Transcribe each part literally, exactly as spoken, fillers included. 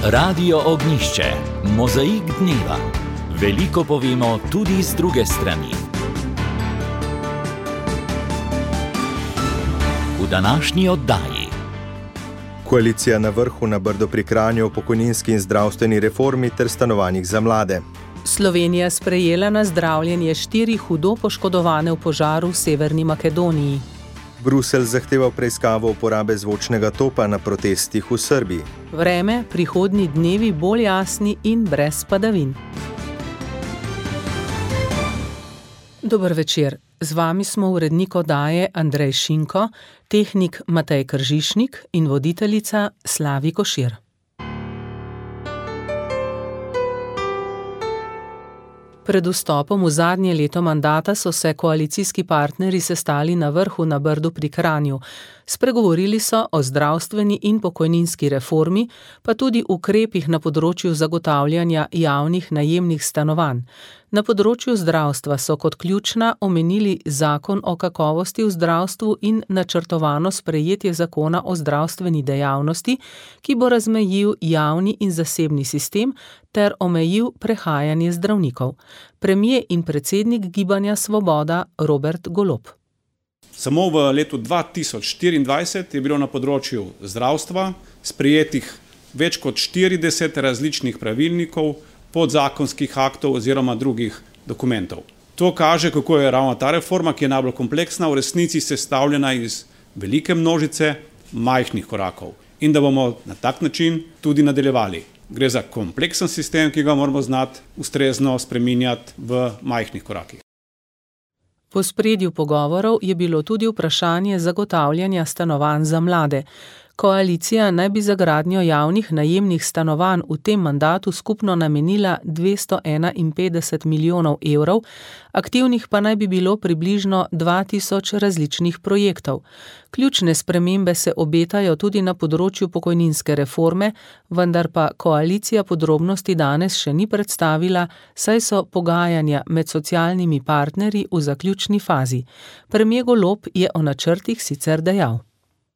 Radio Ognjišče, mozaik dneva. Veliko povemo tudi z druge strani. V današnji oddaji. Koalicija na vrhu na Brdu pri Kranju o pokojninski in zdravstveni reformi ter stanovanjih za mlade. Slovenija sprejela na zdravljenje štiri hudo poškodovane v požaru v Severni Makedoniji. Bruselj zahteva preiskavo uporabe zvočnega topa na protestih v Srbiji. Vreme, prihodnji dnevi bolj jasni in brez padavin. Dober večer. Z vami smo urednik oddaje Andrej Šinko, tehnik Matej Kržišnik in voditeljica Slavi Košir. Pred vstopom v zadnje leto mandata so se koalicijski partnerji sestali na vrhu na Brdu pri Kranju. Spregovorili so o zdravstveni in pokojninski reformi, pa tudi ukrepih na področju zagotavljanja javnih najemnih stanovanj. Na področju zdravstva so kot ključna omenili zakon o kakovosti v zdravstvu in načrtovano sprejetje zakona o zdravstveni dejavnosti, ki bo razmejil javni in zasebni sistem ter omejil prehajanje zdravnikov. Premier in predsednik Gibanja Svoboda Robert Golob. Samo v letu dva tisoč štiriindvajset je bilo na področju zdravstva sprejetih več kot štirideset različnih pravilnikov, podzakonskih aktov oziroma drugih dokumentov. To kaže, kako je ravno ta reforma, ki je najbolj kompleksna, v resnici sestavljena iz velike množice majhnih korakov in da bomo na tak način tudi nadaljevali. Gre za kompleksen sistem, ki ga moramo znati ustrezno spreminjati v majhnih korakih. V ospredju pogovorov je bilo tudi vprašanje zagotavljanja stanovanj za mlade. Koalicija naj bi za gradnjo javnih najemnih stanovanj v tem mandatu skupno namenila dvesto enainpetdeset milijonov evrov, aktivnih pa naj bi bilo približno dva tisoč različnih projektov. Ključne spremembe se obetajo tudi na področju pokojninske reforme, vendar pa koalicija podrobnosti danes še ni predstavila, saj so pogajanja med socialnimi partnerji v zaključni fazi. Premier Golob je o načrtih sicer dejal.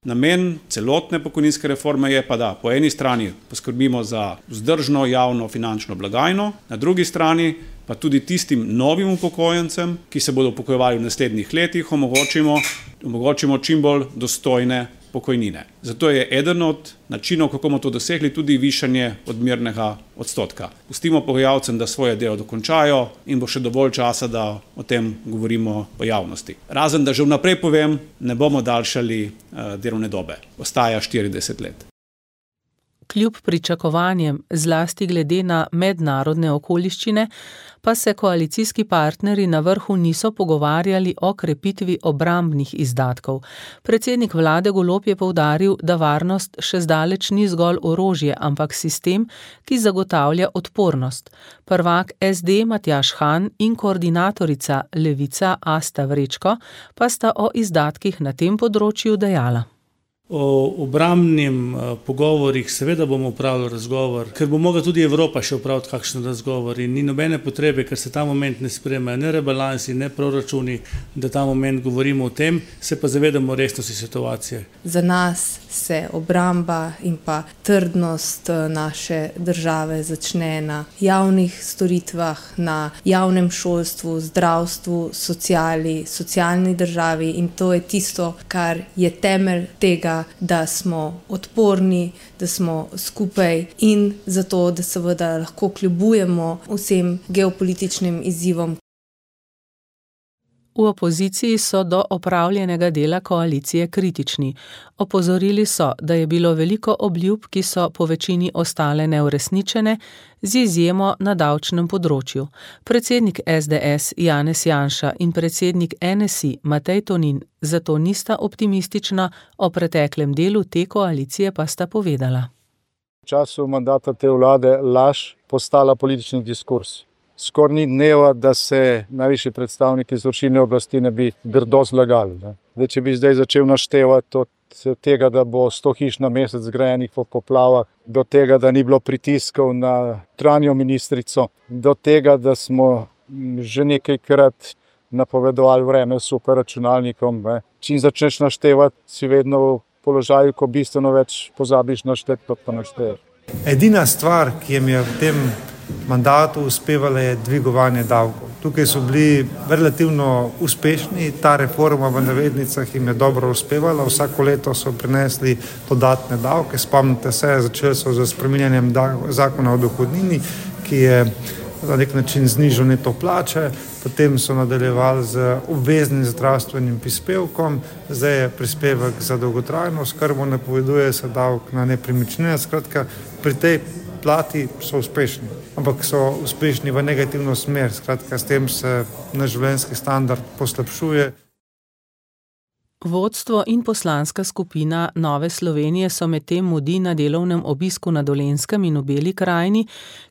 Namen celotne pokojninske reforme je pa, da po eni strani poskrbimo za vzdržno javno finančno blagajno, na drugi strani pa tudi tistim novim upokojencem, ki se bodo upokojevali v naslednjih letih, omogočimo, omogočimo čim bolj dostojne pokojnine. Zato je eden od načinov, kako bomo to dosegli, tudi višanje odmernega odstotka. Pustimo pogajalcem, da svoje delo dokončajo in bo še dovolj časa, da o tem govorimo v javnosti. Razen, da že vnaprej povem, ne bomo daljšali uh, delovne dobe. Ostaja štirideset let. Kljub pričakovanjem, zlasti glede na mednarodne okoliščine, pa se koalicijski partnerji na vrhu niso pogovarjali o krepitvi obrambnih izdatkov. Predsednik vlade Golob je poudaril, da varnost še zdaleč ni zgolj orožje, ampak sistem, ki zagotavlja odpornost. Prvak es de Matjaž Han in koordinatorica Levica Asta Vrečko pa sta o izdatkih na tem področju dejala. O obrambnim pogovorih seveda bomo upravili razgovor, ker bo mogla tudi Evropa še upraviti kakšen razgovor in ni nobene potrebe, ker se ta moment ne sprejemajo ne rebalansi, ne proračuni, da ta moment govorimo o tem, se pa zavedamo resnosti situacije. Za nas se obramba in pa trdnost naše države začne na javnih storitvah, na javnem šolstvu, zdravstvu, sociali, socialni državi in to je tisto, kar je temelj tega, da smo odporni, da smo skupaj in zato, da seveda lahko kljubujemo vsem geopolitičnim izzivom. V opoziciji so do opravljenega dela koalicije kritični. Opozorili so, da je bilo veliko obljub, ki so po večini ostale neuresničene, z izjemo na davčnem področju. Predsednik es de es Janez Janša in predsednik en es i Matej Tonin zato nista optimistična, o preteklem delu te koalicije pa sta povedala. V času mandata te vlade laž postala politični diskurs. Skoraj ni dneva, da se najvišji predstavniki izvršilne oblasti ne bi grdo zlagali. Ne. Zdaj, če bi zdaj začel naštevati od tega, da bo sto hiš na mesec zgrajenih po poplavah, do tega, da ni bilo pritiskov na notranjo ministrico, do tega, da smo že nekajkrat napovedovali vreme s superračunalnikom. Ne. Čim začneš naštevati, si vedno v položaju, ko bistveno več pozabiš našteti, kot pa našteješ. Edina stvar, ki jim je v tem mandatu uspevala, je dvigovanje davkov. Tukaj so bili relativno uspešni, ta reforma v navednicah jim je dobro uspevala, vsako leto so prinesli dodatne davke, spomnite se, začeli so z spreminjanjem zakona o dohodnini, ki je na nek način znižal neto plače, potem so nadaljevali z obveznim zdravstvenim prispevkom, zdaj je prispevek za dolgotrajno oskrbo, napoveduje se davek na nepremičnine, skratka pri tej plati so uspešni, ampak so uspešni v negativno smer, skratka s tem se naš življenjski standard poslabšuje. Vodstvo in poslanska skupina Nove Slovenije so medtem mudi na delovnem obisku na Dolenjskem in v Beli krajini,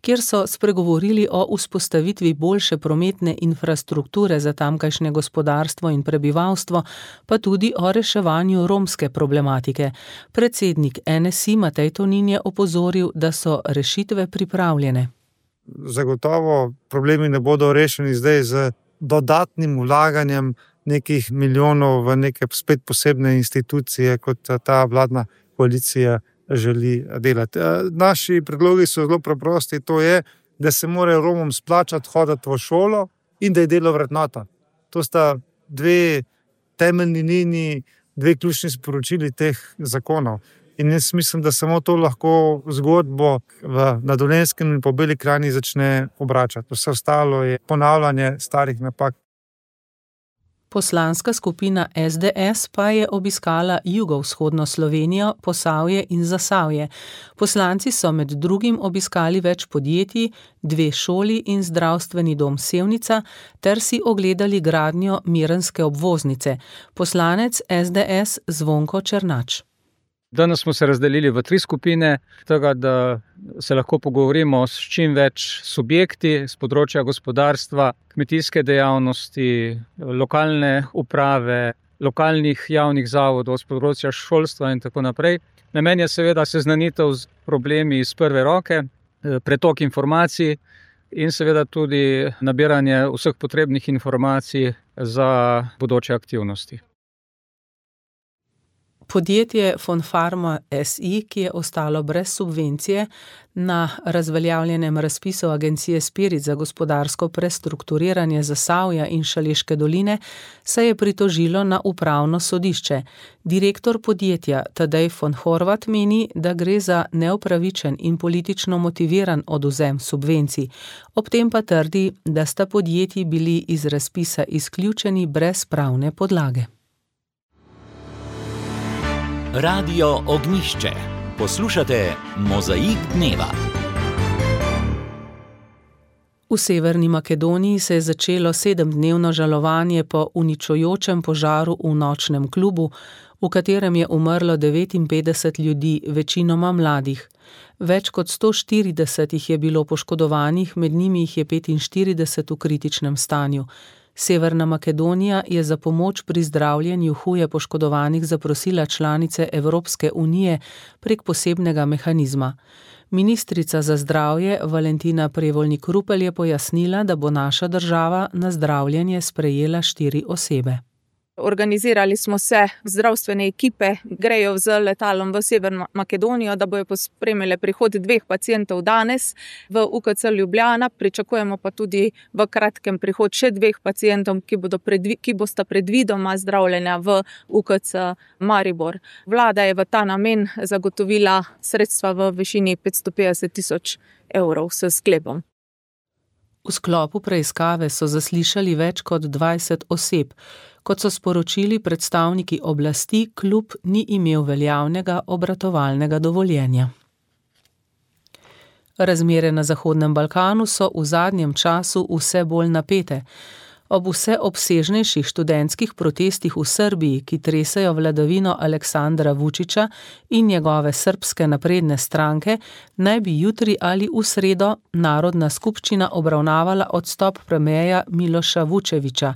kjer so spregovorili o vzpostavitvi boljše prometne infrastrukture za tamkajšnje gospodarstvo in prebivalstvo, pa tudi o reševanju romske problematike. Predsednik N S I Matej Tonin je opozoril, da so rešitve pripravljene. Zagotovo problemi ne bodo rešeni zdaj z dodatnim vlaganjem nekih milijonov v neke spet posebne institucije, kot ta vladna koalicija želi delati. Naši predlogi so zelo preprosti, to je, da se mora Romom splačati hoditi v šolo in da je delo vrednota. To sta dve temeljni liniji, dve ključni sporočili teh zakonov. In jaz mislim, da samo to lahko zgodbo v, na Dolenjskem in po Beli krajini začne obračati. Vse ostalo je ponavljanje starih napak. Poslanska skupina S D S pa je obiskala jugovzhodno Slovenijo, Posavje in Zasavje. Poslanci so med drugim obiskali več podjetij, dve šoli in zdravstveni dom Sevnica ter si ogledali gradnjo Mirenske obvoznice. Poslanec S D S Zvonko Černač. Danes smo se razdelili v tri skupine, tega, da se lahko pogovorimo s čim več subjekti z področja gospodarstva, kmetijske dejavnosti, lokalne uprave, lokalnih javnih zavodov, z področja šolstva in tako naprej. Namen je seveda seznanitev z problemi iz prve roke, pretok informacij in seveda tudi nabiranje vseh potrebnih informacij za bodoče aktivnosti. Podjetje Fonfarma S I, ki je ostalo brez subvencije, na razveljavljenem razpisu agencije Spirit za gospodarsko prestrukturiranje Zasavja in Šaleške doline, se je pritožilo na upravno sodišče. Direktor podjetja Tadej von Horvat meni, da gre za neupravičen in politično motiviran odvzem subvencij. Ob tem pa trdi, da sta podjetji bili iz razpisa izključeni brez pravne podlage. Radio Ognjišče. Poslušate Mozaik dneva. V Severni Makedoniji se je začelo sedemdnevno žalovanje po uničujočem požaru v nočnem klubu, v katerem je umrlo devetinpetdeset ljudi, večinoma mladih. Več kot sto štirideset jih je bilo poškodovanih, med njimi jih je petinštirideset v kritičnem stanju. Severna Makedonija je za pomoč pri zdravljenju huje poškodovanih zaprosila članice Evropske unije prek posebnega mehanizma. Ministrica za zdravje Valentina Prevolnik-Rupel je pojasnila, da bo naša država na zdravljenje sprejela štiri osebe. Organizirali smo se, zdravstvene ekipe grejo z letalom v Severno Makedonijo, da bojo pospremile prihod dveh pacientov danes v U K C Ljubljana. Pričakujemo pa tudi v kratkem prihod še dveh pacientov, ki bodo predvi, ki bosta predvidoma zdravljena v U K C Maribor. Vlada je v ta namen zagotovila sredstva v višini petsto petdeset tisoč evrov s sklepom. V sklopu preiskave so zaslišali več kot dvajset oseb. Kot so sporočili predstavniki oblasti, klub ni imel veljavnega obratovalnega dovoljenja. Razmere na Zahodnem Balkanu so v zadnjem času vse bolj napete. Ob vse obsežnejših študentskih protestih v Srbiji, ki tresajo vladavino Aleksandra Vučića in njegove srbske napredne stranke, naj bi jutri ali v sredo Narodna skupščina obravnavala odstop premierja Miloša Vučevića.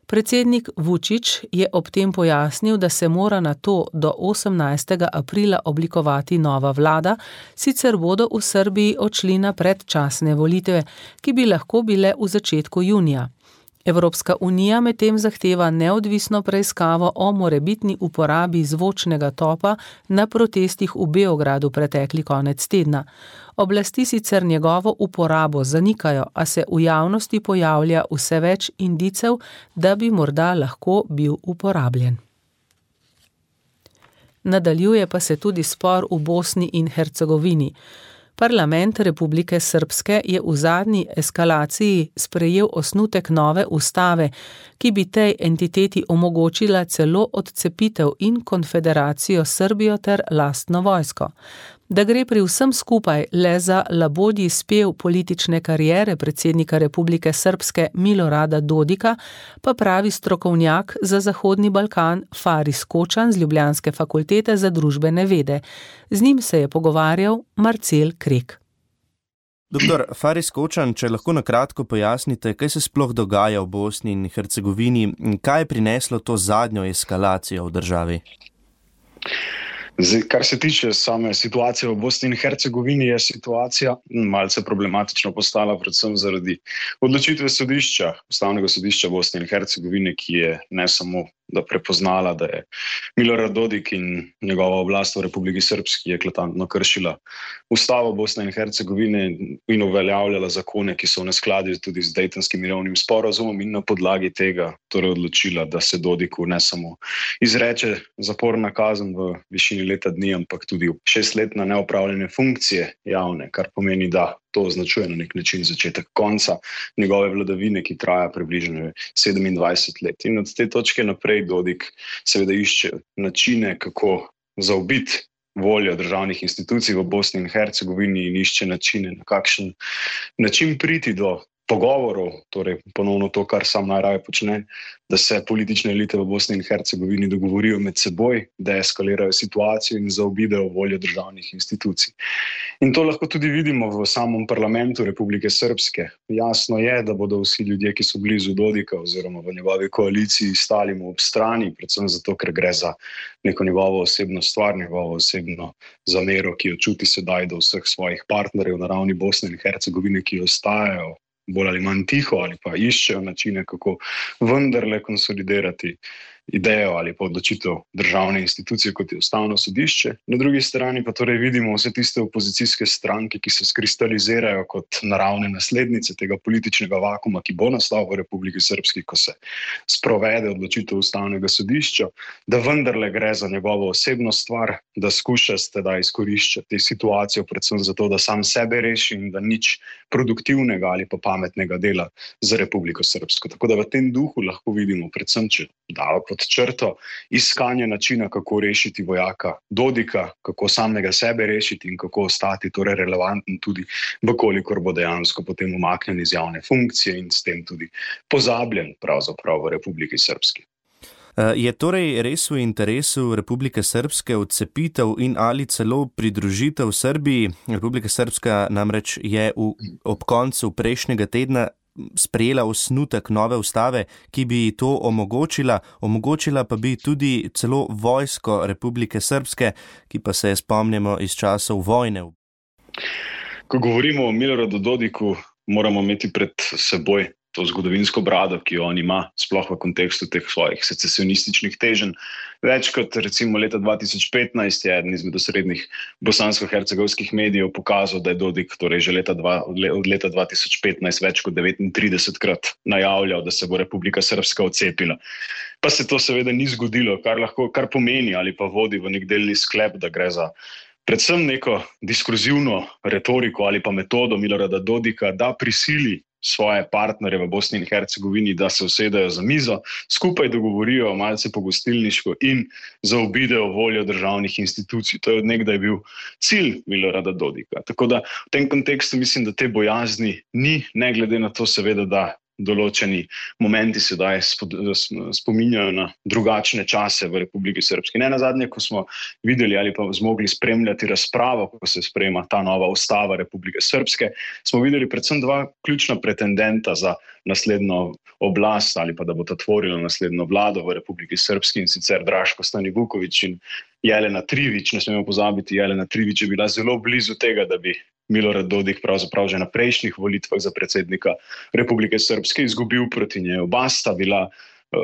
Predsednik Vučić je ob tem pojasnil, da se mora na to do osemnajstega aprila oblikovati nova vlada, sicer bodo v Srbiji odšli na predčasne volitve, ki bi lahko bile v začetku junija. Evropska unija medtem zahteva neodvisno preiskavo o morebitni uporabi zvočnega topa na protestih v Beogradu pretekli konec tedna. Oblasti sicer njegovo uporabo zanikajo, a se v javnosti pojavlja vse več indicev, da bi morda lahko bil uporabljen. Nadaljuje pa se tudi spor v Bosni in Hercegovini. Parlament Republike Srpske je v zadnji eskalaciji sprejel osnutek nove ustave, ki bi tej entiteti omogočila celo odcepitev in konfederacijo s Srbijo ter lastno vojsko. Da gre pri vsem skupaj le za labodji spev politične kariere predsednika Republike Srpske Milorada Dodika, pa pravi strokovnjak za Zahodni Balkan Faris Kočan z Ljubljanske fakultete za družbene vede. Z njim se je pogovarjal Marcel Krek. Doktor Faris Kočan, če lahko na kratko pojasnite, kaj se sploh dogaja v Bosni in Hercegovini in kaj je prineslo to zadnjo eskalacijo v državi? Zdaj, kar se tiče same situacije v Bosni in Hercegovini, je situacija malce problematično postala predvsem zaradi odločitve sodišča, Ustavnega sodišča Bosne in Hercegovine, ki je ne samo da prepoznala, da je Milorad Dodik in njegova oblast v Republiki Srpski eklatantno kršila Ustavo Bosne in Hercegovine in uveljavljala zakone, ki so v neskladju tudi z Dejtonskim mirovnim sporazumom, in na podlagi tega torej odločila, da se Dodiku ne samo izreče zaporna kazen v višini leta dni, ampak tudi šestletna neopravljene funkcije javne, kar pomeni, da to označuje na nek način začetek konca njegove vladavine, ki traja približno sedemindvajset let. In od te točke naprej Dodik seveda išče načine, kako zaobiti voljo državnih institucij v Bosni in Hercegovini in išče načine, na kakšen način priti do pogovorov, torej ponovno to, kar sam najraje počne, da se politične elite v Bosni in Hercegovini dogovorijo med seboj, da eskalirajo situacijo in zaobidejo voljo državnih institucij. In to lahko tudi vidimo v samem parlamentu Republike Srpske. Jasno je, da bodo vsi ljudje, ki so blizu Dodika oziroma v njegovi koaliciji, stali mu ob strani, predvsem zato, ker gre za neko njegovo osebno stvar, njegovo osebno zamero, ki jo čuti sedaj do vseh svojih partnerjev na ravni Bosne in Hercegovine, ki ostajajo bolj ali manj tiho ali pa iščejo načine, kako vendarle konsolidirati idejo ali pa odločitev državne institucije, kot je Ustavno sodišče. Na drugi strani pa torej vidimo vse tiste opozicijske stranke, ki se skristalizirajo kot naravne naslednice tega političnega vakuma, ki bo nastal v Republiki Srpski, ko se sprovede odločitev Ustavnega sodišča, da vendarle gre za njegovo osebno stvar, da skuša teda izkoriščati situacijo predvsem zato, da sam sebe reši in da nič produktivnega ali pa pametnega dela za Republiko Srpsko. Tako da v tem duhu lahko vidimo predvsem, če dava pod črto, iskanje načina, kako rešiti vojaka Dodika, kako samega sebe rešiti in kako ostati torej relevanten tudi, vkolikor bo dejansko potem umaknjen iz javne funkcije in s tem tudi pozabljen pravzaprav v Republiki Srpski. Je torej res v interesu Republike Srpske odcepitev in ali celo pridružitev Srbiji? Republika Srpska namreč je v, ob koncu prejšnjega tedna sprejela osnutek nove ustave, ki bi to omogočila, omogočila pa bi tudi celo vojsko Republike Srpske, ki pa se je spomnimo iz časov vojne. Ko govorimo o Miloradu Dodiku, moramo imeti pred seboj to zgodovinsko brado, ki jo on ima, sploh v kontekstu teh svojih secesionističnih teženj. Več kot recimo leta dva tisoč petnajst je eden izmed osrednjih bosansko-hercegovskih medijev pokazal, da je Dodik torej že leta dva, od leta dva tisoč petnajst več kot devetintridesetkrat najavljal, da se bo Republika Srpska odcepila. Pa se to seveda ni zgodilo, kar lahko, kar pomeni ali pa vodi v nek delni sklep, da gre za predvsem neko diskurzivno retoriko ali pa metodo Milorada Dodika, da prisili svoje partnerje v Bosni in Hercegovini, da se usedejo za mizo, skupaj dogovorijo malce pogostilniško in zaobidejo voljo državnih institucij. To je od nekdaj bil cilj Milorada Dodika. Tako da v tem kontekstu mislim, da te bojazni ni, ne glede na to seveda, da določeni momenti sedaj spominjajo na drugačne čase v Republiki Srpski. Ne nazadnje, ko smo videli ali pa zmogli spremljati razpravo, ko se sprejema ta nova ustava Republike Srpske, smo videli predvsem dva ključna pretendenta za naslednjo oblast ali pa da bo ta tvorila naslednjo vlado v Republiki Srpski, in sicer Draško Stanivuković in Jelena Trivić. Ne smemo pozabiti, Jelena Trivić je bila zelo blizu tega, da bi Milorad Dodik pravzaprav že na prejšnjih volitvah za predsednika Republike Srpske izgubil proti njej. Oba sta bila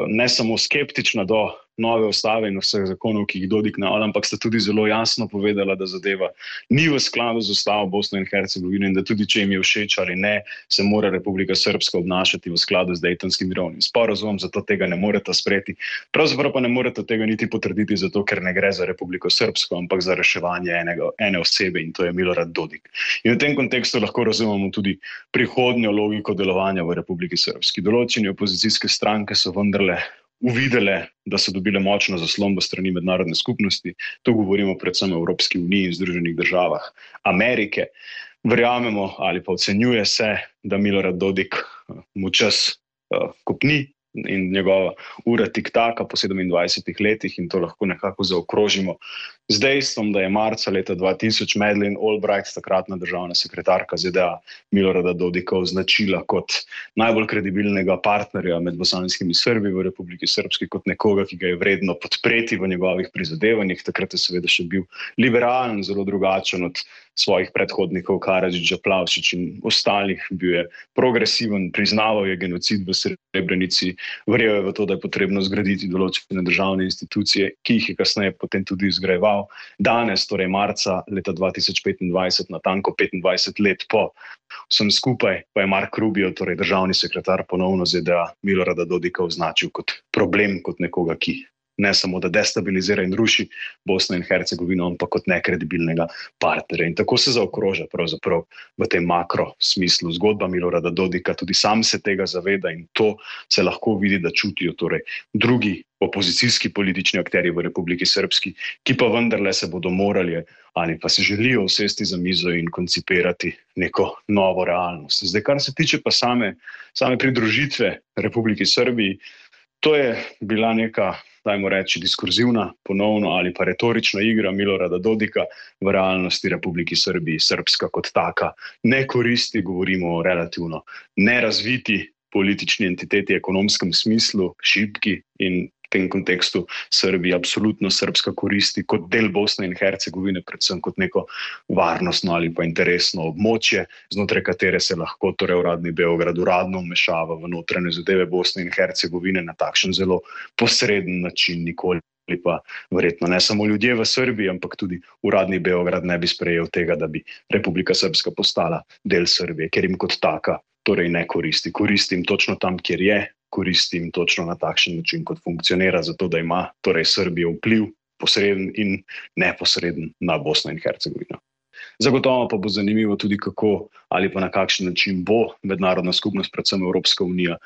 ne samo skeptična do nove ustave in vseh zakonov, ki jih Dodik najavlja, ampak sta tudi zelo jasno povedala, da zadeva ni v skladu z ustavo Bosne in Hercegovine in da tudi, če jim je všeč ali ne, se mora Republika Srpska obnašati v skladu z Dejtonskim mirovnim sporazumom, zato tega ne moreta sprejeti. Pravzaprav pa ne moreta tega niti potrditi, zato ker ne gre za Republiko Srpsko, ampak za reševanje enega, ene osebe in to je Milorad Dodik. In v tem kontekstu lahko razumemo tudi prihodnjo logiko delovanja v Republiki Srpski. Določene opozicijske stranke so vendarle uvidele, da so dobile močno zaslombo strani mednarodne skupnosti. Tu govorimo predvsem o Evropski uniji in Združenih državah Amerike. Verjamemo ali pa ocenjuje se, da Milorad Dodik mu čas uh, kopni in njegova ura tiktaka po sedemindvajsetih letih in to lahko nekako zaokrožimo z dejstvom, da je marca leta dva tisoč Madeleine Albright, takratna državna sekretarka Z D A, Milorada Dodika označila kot najbolj kredibilnega partnerja med bosanskimi Srbi v Republiki Srpski, kot nekoga, ki ga je vredno podpreti v njegovih prizadevanjih. Takrat je seveda še bil liberalen, zelo drugačen od svojih predhodnikov Karadžića, Plavšić in ostalih. Bil je progresiven, priznaval je genocid v Srebrenici, verjel je v to, da je potrebno zgraditi določene državne institucije, ki jih je kasneje potem tudi izgrajeval. Danes, torej marca leta dva tisoč petindvajset, natanko petindvajset let po vsem skupaj, pa je Mark Rubio, torej državni sekretar ponovno Z D A, Milorada Dodika označil kot problem, kot nekoga, ki ne samo da destabilizira in ruši Bosno in Hercegovino, ampak kot nekredibilnega partnerja. In tako se zaokroža pravzaprav v tem makro smislu zgodba Milorada Dodika. Tudi sam se tega zaveda in to se lahko vidi, da čutijo torej drugi opozicijski politični akterji v Republiki Srpski, ki pa vendarle se bodo morali ali pa se želijo usesti za mizo in koncipirati neko novo realnost. Zdaj, kar se tiče pa same, same pridružitve Republiki Srbiji, to je bila neka, dajmo reči, diskurzivna, ponovno ali pa retorična igra Milorada Dodika. V realnosti Republiki Srbiji Srpska kot taka ne koristi, govorimo o relativno nerazviti politični entiteti, ekonomskem smislu, šibki, in v tem kontekstu Srbiji absolutno Srpska koristi kot del Bosne in Hercegovine, predvsem kot neko varnostno ali pa interesno območje, znotraj katere se lahko torej uradni Beograd uradno vmešava v notranje zadeve Bosne in Hercegovine na takšen zelo posreden način. Nikoli pa verjetno ne samo ljudje v Srbiji, ampak tudi uradni Beograd ne bi sprejel tega, da bi Republika Srpska postala del Srbije, ker jim kot taka torej ne koristi. Koristi jim točno tam, kjer je, koristi jim točno na takšen način, kot funkcionira, zato da ima torej Srbija vpliv posreden in neposreden na Bosno in Hercegovino. Zagotovo pa bo zanimivo tudi, kako ali pa na kakšen način bo mednarodna skupnost, predvsem Evropska unija,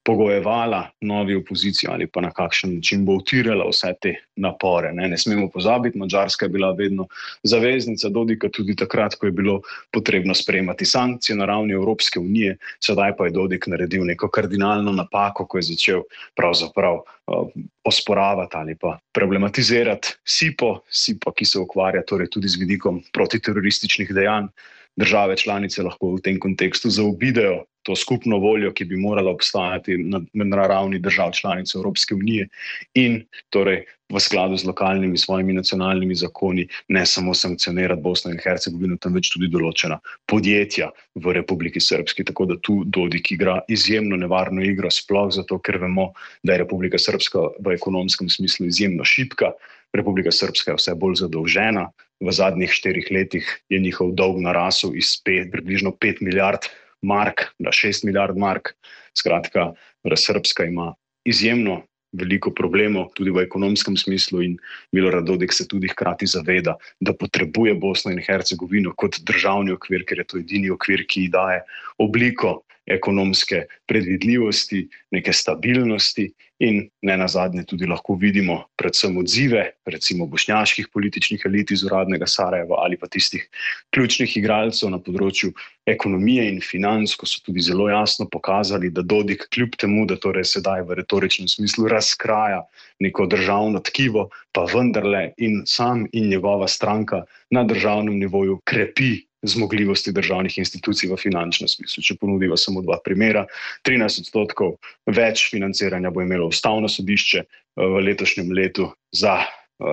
pogojevala novi opoziciji ali pa na kakšen način bo utirala vse te napore. Ne, ne smemo pozabiti, Madžarska je bila vedno zaveznica Dodika tudi takrat, ko je bilo potrebno sprejemati sankcije na ravni Evropske unije. Sedaj pa je Dodik naredil neko kardinalno napako, ko je začel pravzaprav uh, osporavati ali pa problematizirati SIPO, SIPO, ki se ukvarja torej tudi z vidikom protiterorističnih dejanj. Države članice lahko v tem kontekstu zaobidejo to skupno voljo, ki bi morala obstajati na, na ravni držav članic Evropske unije in torej v skladu z lokalnimi svojimi nacionalnimi zakoni ne samo sankcionirati Bosno in Hercegovino, temveč tudi določena podjetja v Republiki Srpski. Tako da tu Dodik igra izjemno nevarno igro, sploh zato, ker vemo, da je Republika Srpska v ekonomskem smislu izjemno šibka. Republika Srpska je vse bolj zadolžena. V zadnjih štirih letih je njihov dolg narasel iz pet, približno pet milijard mark na šest milijard mark. Skratka, Srpska ima izjemno veliko problemov tudi v ekonomskem smislu in Milorad Dodik se tudi hkrati zaveda, da potrebuje Bosno in Hercegovino kot državni okvir, ker je to edini okvir, ki ji daje obliko ekonomske predvidljivosti, neke stabilnosti in ne nazadnje tudi lahko vidimo predvsem odzive, recimo bošnjaških političnih elit iz uradnega Sarajeva ali pa tistih ključnih igralcev na področju ekonomije in financ, ko so tudi zelo jasno pokazali, da Dodik kljub temu, da torej sedaj v retoričnem smislu razkraja neko državno tkivo, pa vendarle in sam in njegova stranka na državnem nivoju krepi zmogljivosti državnih institucij v finančnem smislu. Če ponudiva samo dva primera, trinajst odstotkov več financiranja bo imelo ustavno sodišče v letošnjem letu za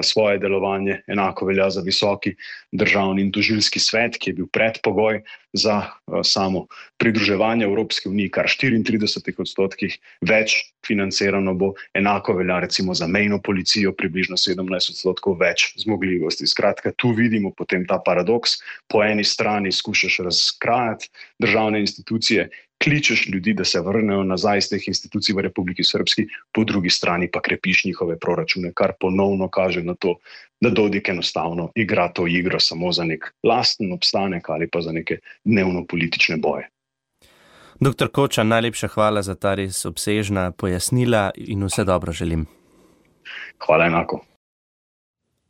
svoje delovanje. Enako velja za visoki državni in tožilski svet, ki je bil predpogoj za samo pridruževanje Evropske unije, kar štiriintrideset odstotkih več financirano bo. Enako velja recimo za mejno policijo, približno sedemnajst odstotkov več zmogljivosti. Skratka, tu vidimo potem ta paradoks. Po eni strani skušaš razkrajati državne institucije, kličeš ljudi, da se vrnejo nazaj iz teh institucij v Republiki Srbski, po drugi strani pa krepiš njihove proračune, kar ponovno kaže na to, da Dodik enostavno igra to igro samo za nek lasten obstanek ali pa za neke dnevno politične boje. Doktor Kočan, najlepša hvala za ta res obsežna pojasnila in vse dobro želim. Hvala enako.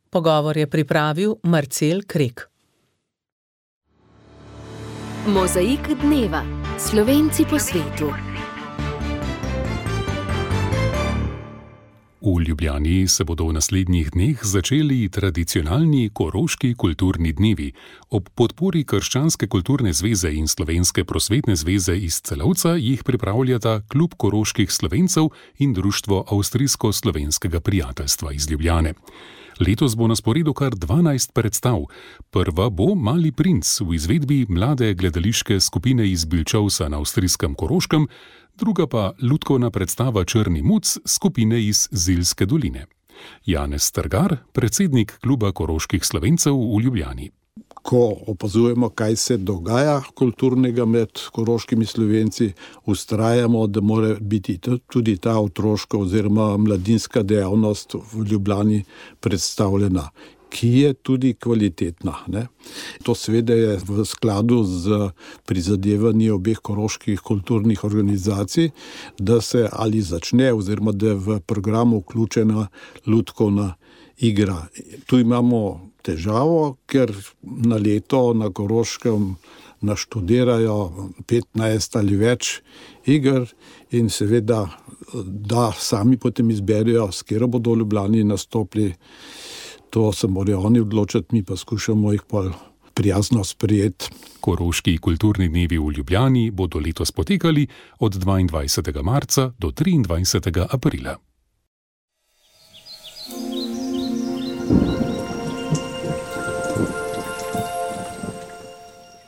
Pogovor je pripravil Marcel Krek. Mozaik dneva. Slovenci po svetu. V Ljubljani se bodo v naslednjih dneh začeli tradicionalni Koroški kulturni dnevi. Ob podpori Krščanske kulturne zveze in Slovenske prosvetne zveze iz Celovca jih pripravljata Klub koroških Slovencev in Društvo avstrijsko-slovenskega prijateljstva iz Ljubljane. Letos bo na sporedu kar dvanajst predstav. Prva bo Mali princ v izvedbi mlade gledališke skupine iz Bilčovsa na avstrijskem Koroškem, druga pa lutkovna predstava Črni muc skupine iz Zilske doline. Janez Strgar, predsednik Kluba koroških Slovencev v Ljubljani. Ko opazujemo, kaj se dogaja kulturnega med koroškimi Slovenci, vztrajamo, da mora biti tudi ta otroška oziroma mladinska dejavnost v Ljubljani predstavljena, ki je tudi kvalitetna. Ne? To seveda je v skladu z prizadevanji obeh koroških kulturnih organizacij, da se ali začne oziroma da je v programu vključena lutkovna igra. Tu imamo težavo, ker na leto na Koroškem naštudirajo petnajst ali več iger in seveda, da sami potem izberijo, s katero bodo v Ljubljani nastopili. To se morajo oni odločiti, mi pa skušamo jih pa prijazno sprejeti. Koroški kulturni dnevi v Ljubljani bodo letos potekali od dvaindvajsetega marca do triindvajsetega aprila.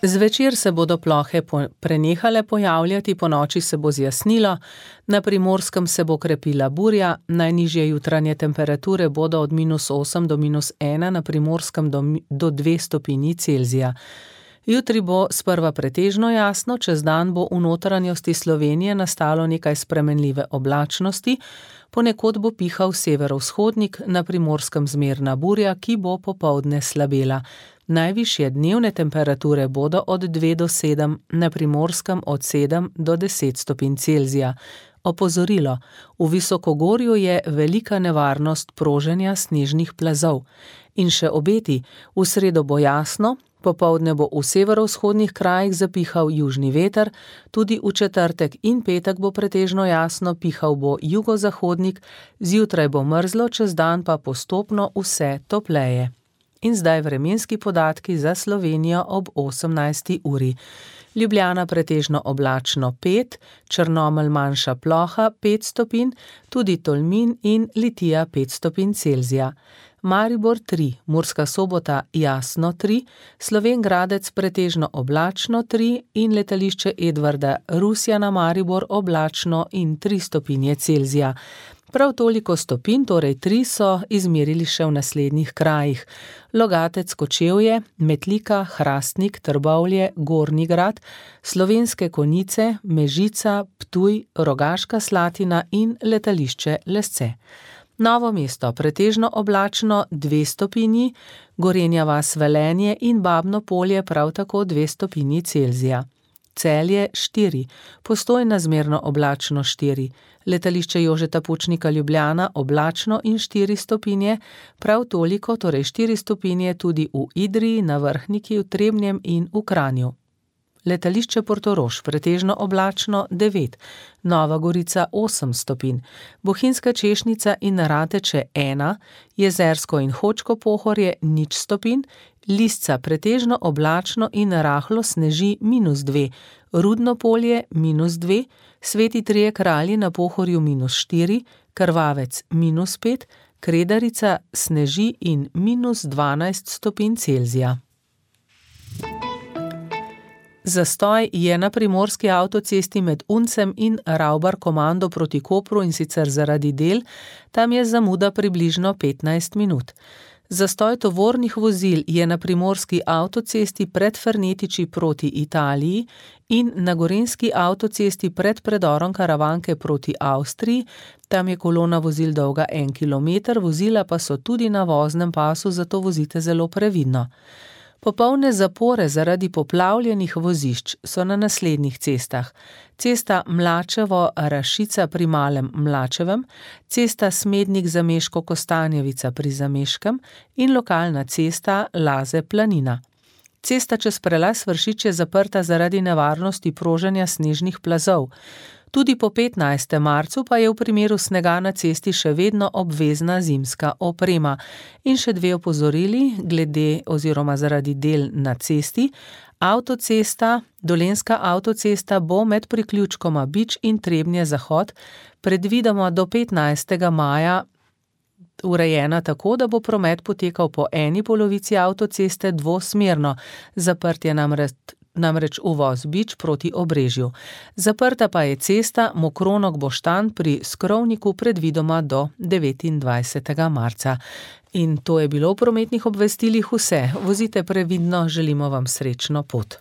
Zvečer se bodo plohe prenehale pojavljati, ponoči se bo zjasnilo, na Primorskem se bo krepila burja, najnižje jutranje temperature bodo od minus osem do minus ena, na Primorskem do, do dve stopinji Celzija. Jutri bo sprva pretežno jasno, čez dan bo v notranjosti Slovenije nastalo nekaj spremenljive oblačnosti, ponekod bo pihal severovzhodnik, na Primorskem zmerna burja, ki bo popoldne slabela. Najvišje dnevne temperature bodo od dve do sedem, na Primorskem od sedem do deset stopinj Celzija. Opozorilo, v visokogorju je velika nevarnost proženja snežnih plazov. In še obeti, v sredo bo jasno, popoldne bo v severovzhodnih krajih zapihal južni veter, tudi v četrtek in petek bo pretežno jasno, pihal bo jugozahodnik, zjutraj bo mrzlo, čez dan pa postopno vse topleje. In zdaj vremenski podatki za Slovenijo ob osemnajsti uri. Ljubljana pretežno oblačno pet, Črnomelj manjša ploha pet stopinj, tudi Tolmin in Litija pet stopinj Celzija. Maribor tri, Murska Sobota jasno tri, Slovenj Gradec pretežno oblačno tri in letališče Edvarda Rusja na Maribor oblačno in tri stopinje Celzija. Prav toliko stopinj, torej tri, so izmerili še v naslednjih krajih. Logatec, Kočevje, Metlika, Hrastnik, Trbovlje, Gornji Grad, Slovenske Konjice, Mežica, Ptuj, Rogaška Slatina in letališče Lesce. Novo mesto pretežno oblačno dve stopinji, Gorenja vas Velenje in Babno Polje prav tako dve stopinji Celzija. Celje štiri, Postojna zmerno oblačno štiri, letališče Jožeta Pučnika Ljubljana oblačno in štiri stopinje, prav toliko, torej štiri stopinje tudi v Idriji, na Vrhniki, v Trebnjem in v Kranju. Letališče Portorož pretežno oblačno devet, Nova Gorica osem stopinj, Bohinjska Češnica in Rateče ena, Jezersko in Hočko Pohorje nič stopinj, Lisca pretežno oblačno in rahlo sneži minus dve, Rudno Polje minus dve, Sveti Trije Kralji na Pohorju minus štiri, Krvavec minus pet, Kredarica sneži in minus dvanajst stopinj Celzija. Zastoj je na primorski avtocesti med Uncem in Ravbar komando proti Kopru, in sicer zaradi del, tam je zamuda približno petnajst minut. Zastoj tovornih vozil je na primorski avtocesti pred Fernetiči proti Italiji in na gorenjski avtocesti pred predorom Karavanke proti Avstriji, tam je kolona vozil dolga en kilometer, vozila pa so tudi na voznem pasu, zato vozite zelo previdno. Popolne zapore zaradi poplavljenih vozišč so na naslednjih cestah. Cesta Mlačevo-Rašica pri Malem Mlačevem, cesta Smednik-Zameško-Kostanjevica pri Zameškem in lokalna cesta Laze-Planina. Cesta čez prelaz Vršič je zaprta zaradi nevarnosti proženja snežnih plazov. Tudi po petnajstem marcu pa je v primeru snega na cesti še vedno obvezna zimska oprema. In še dve opozorili glede oziroma zaradi del na cesti. Avtocesta, Dolenjska avtocesta bo med priključkoma Bič in Trebnje-Zahod predvidoma do petnajstega maja urejena tako, da bo promet potekal po eni polovici avtoceste dvosmerno. Zaprt je namreč namreč uvoz Bič proti Obrežju. Zaprta pa je cesta Mokronog-Boštanj pri Skrovniku predvidoma do devetindvajsetega marca. In to je bilo v prometnih obvestilih vse. Vozite previdno, želimo vam srečno pot.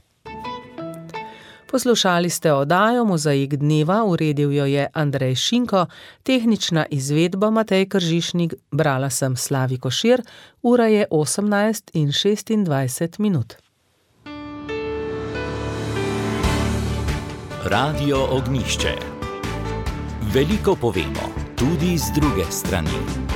Poslušali ste oddajo Mozaik dneva, uredil jo je Andrej Šinko, tehnična izvedba Matej Kržišnik, brala sem Slavi Košir, ura je osemnajst in šestindvajset minut. Radio Ognjišče. Veliko povemo, tudi z druge strani.